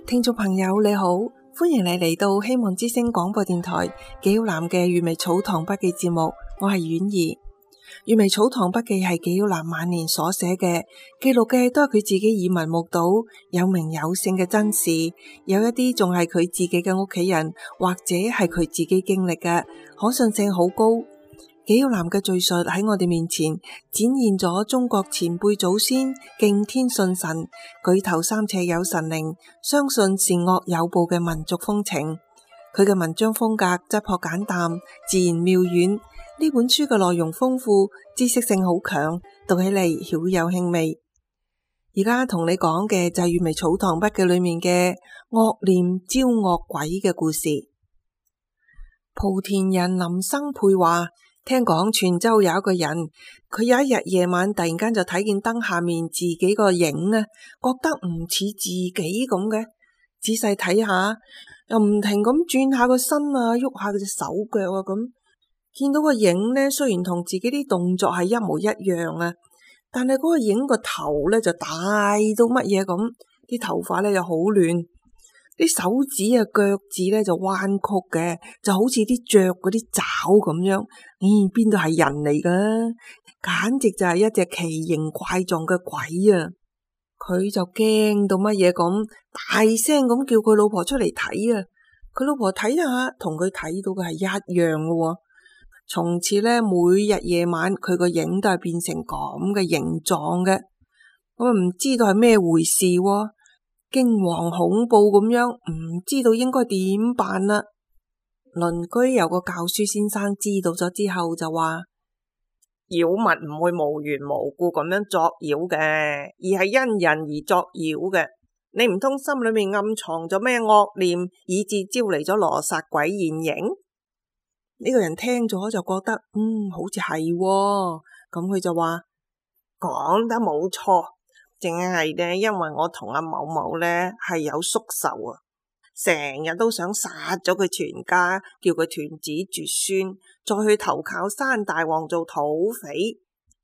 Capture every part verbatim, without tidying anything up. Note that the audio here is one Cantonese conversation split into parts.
聽眾朋友你好，歡迎你嚟到希望之聲廣播電台紀曉嵐嘅《閱微草堂筆記》節目，我係婉兒。《閱微草堂筆記》係紀曉嵐晚年所寫嘅，記錄嘅都係佢自己耳聞目睹、有名有姓嘅真事，有一啲仲係佢自己嘅屋企人或者係佢自己經歷嘅，可信性好高。紀曉嵐嘅敘述喺我哋面前展現咗中國前輩祖先敬天信神、舉頭三尺有神靈、相信善惡有報嘅民族風情。佢嘅文章風格質樸簡淡、自然妙遠。呢本書嘅內容豐富，知識性好強，讀起嚟曉有興味。而家同你講嘅就係《閱微草堂筆記》裏面嘅惡念招惡鬼嘅故事。莆田人林生佩話，聽講泉州有一個人，佢有一日夜晚突然間就睇見燈下面自己個影呢，覺得唔似自己咁嘅，仔細睇下又唔停咁轉下個身啊，喐下佢隻手腳啊咁。見到個影呢，雖然同自己啲動作係一模一樣啊，但係嗰個影個頭呢就大到乜嘢咁，啲頭髮呢又好亂，啲手指啊腳趾呢就彎曲嘅，就好似啲雀嗰啲爪咁樣。咦，邊度係人嚟噶？簡直就係一隻奇形怪狀嘅鬼啊！佢就驚到乜嘢咁，大聲咁叫佢老婆出嚟睇啊！佢老婆睇下，同佢睇到嘅係一樣嘅喎。從此咧，每日夜晚佢個影都係變成咁嘅形狀嘅，我唔知道係咩回事喎，驚惶恐怖咁樣，唔知道應該點辦啦。鄰居有個教書先生知道咗之後就話：妖物唔會無緣無故咁樣作妖嘅，而係因人而作妖嘅。你唔通心裏面暗藏咗咩惡念，以致招嚟咗羅剎鬼現形？呢個人聽咗就覺得嗯，好似係喎，咁佢就話講得冇錯，淨係呢，因為我同阿某某呢係有宿仇啊，成日都想殺咗佢全家，叫佢斷子絕孫，再去投靠山大王做土匪。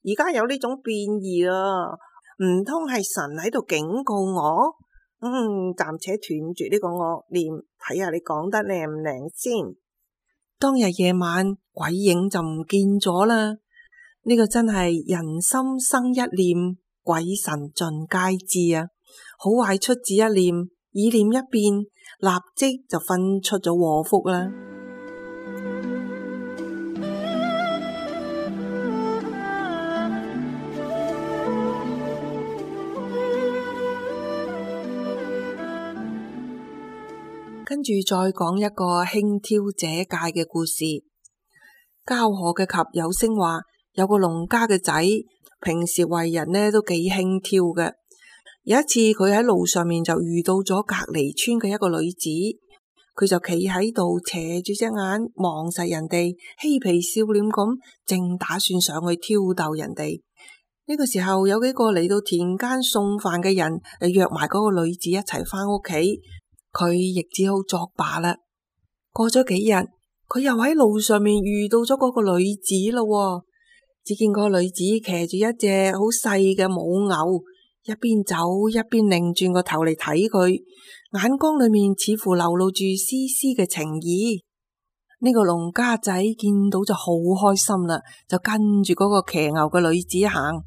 而家有呢種變異啦，唔通係神喺度警告我？嗯，暫且斷絕呢個惡念，睇下你講得靚唔靚先。當日夜晚鬼影就唔見咗啦，呢個真係人心生一念，鬼神盡皆知啊！好壞出自一念，意念一變，立即就分出咗禍福啦。跟住再講一個輕佻者戒嘅故事。交河嘅及有聲話，有個農家嘅仔，平時為人呢都幾輕佻嘅。有一次佢喺路上面就遇到咗隔離村嘅一個女子，佢就企喺度斜住隻眼望實人哋，嬉皮笑臉咁，正打算上去挑逗人哋。呢個時候有幾個嚟到田間送飯嘅人，就約埋嗰個女子一齊返屋企。佢亦只好作罷啦。過咗幾日，佢又喺路上面遇到咗嗰個女子咯。只見個女子騎住一隻好細嘅母牛，一邊走一邊擰轉個頭嚟睇佢，眼光裏面似乎流露住絲絲嘅情意。呢個農家仔見到就好開心啦，就跟住嗰個騎牛嘅女子行。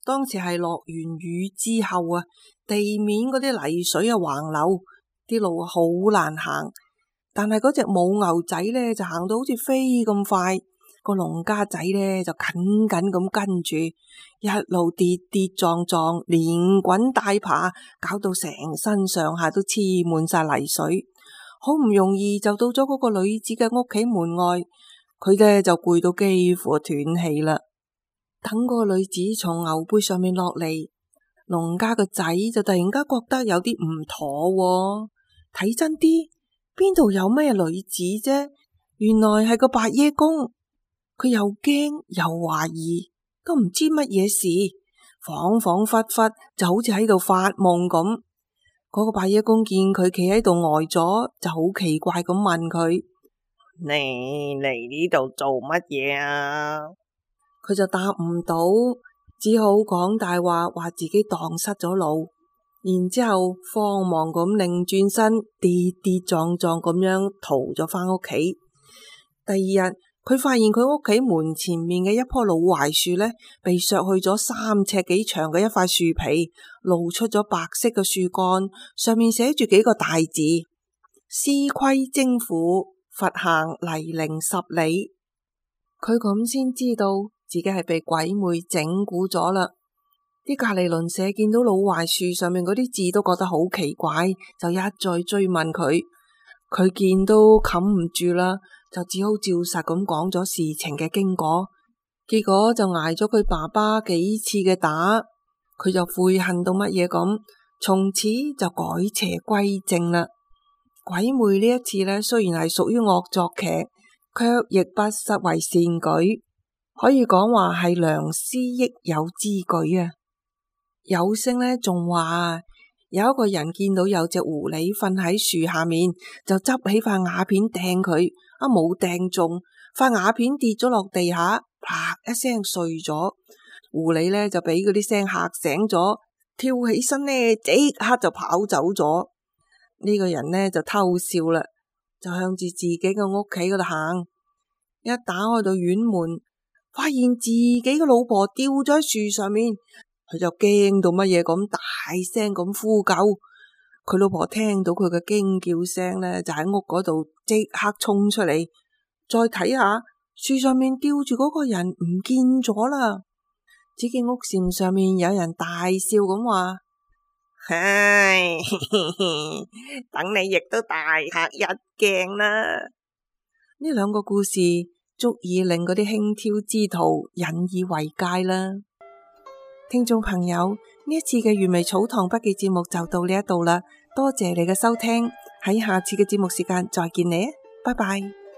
當時係落完雨之後啊，地面嗰啲泥水啊橫流，啲路好難行，但係嗰隻母牛仔呢就行到好似飛咁快，個農家仔呢就緊緊咁跟住，一路跌跌撞撞，連滾帶爬，搞到成身上下都黐滿晒泥水，好唔容易就到咗嗰個女子嘅屋企門外，佢呢就攰到幾乎斷氣啦。等個女子從牛背上面落嚟，農家個仔就突然間覺得有啲唔妥喎。睇真啲，邊度有咩女子啫？原來係個白耶公，佢又驚又懷疑，都唔知乜嘢事，恍恍惚惚就好似喺度發夢咁。嗰個白耶公見佢企喺度呆咗，就好奇怪咁問佢：你嚟呢度做乜嘢啊？佢就答唔到，只好講大話，話自己蕩失咗路。然之後慌忙咁擰轉身，跌跌撞撞咁樣逃咗返屋企。第二日，佢發現佢屋企門前面嘅一棵老槐樹呢，被削去咗三尺幾長嘅一塊樹皮，露出咗白色嘅樹幹，上面寫住幾個大字：司規征府，佛行泥濘十里。佢咁先知道自己係被鬼魅整蠱咗啦。啲隔籬鄰舍見到老槐樹上面嗰啲字都覺得好奇怪，就一再追問佢。佢見都冚唔住啦，就只好照實咁講咗事情嘅經過。結果就挨咗佢爸爸幾次嘅打，佢就悔恨到乜嘢咁，從此就改邪歸正啦。鬼魅呢一次呢，雖然係屬於惡作劇，卻亦不失為善舉，可以講話係良師益友之舉啊！有聲呢仲話，有一個人見到有隻狐狸瞓喺樹下面，就執起塊瓦片掟佢，啊冇掟中，塊瓦片跌咗落地下，啪一聲碎咗。狐狸呢就俾嗰啲聲嚇醒咗，跳起身呢即刻就跑走咗。呢個人呢就偷笑啦，就向住自己嘅屋企嗰度行，一打開到院門，發現自己嘅老婆吊咗喺樹上面。佢就驚到乜嘢咁，大聲咁呼救。佢老婆聽到佢嘅驚叫聲呢，就喺屋嗰度即刻衝出嚟，再睇下樹上面吊住嗰個人唔見咗啦。只見屋檐上面有人大笑咁話：唉，等你亦都大嚇一驚啦！呢兩個故事足以令嗰啲輕佻之徒引以為戒啦。聽眾朋友，呢一次嘅原味草堂筆記節目就到呢一度啦，多謝你嘅收聽，喺下次嘅節目時間再見你啊，拜拜。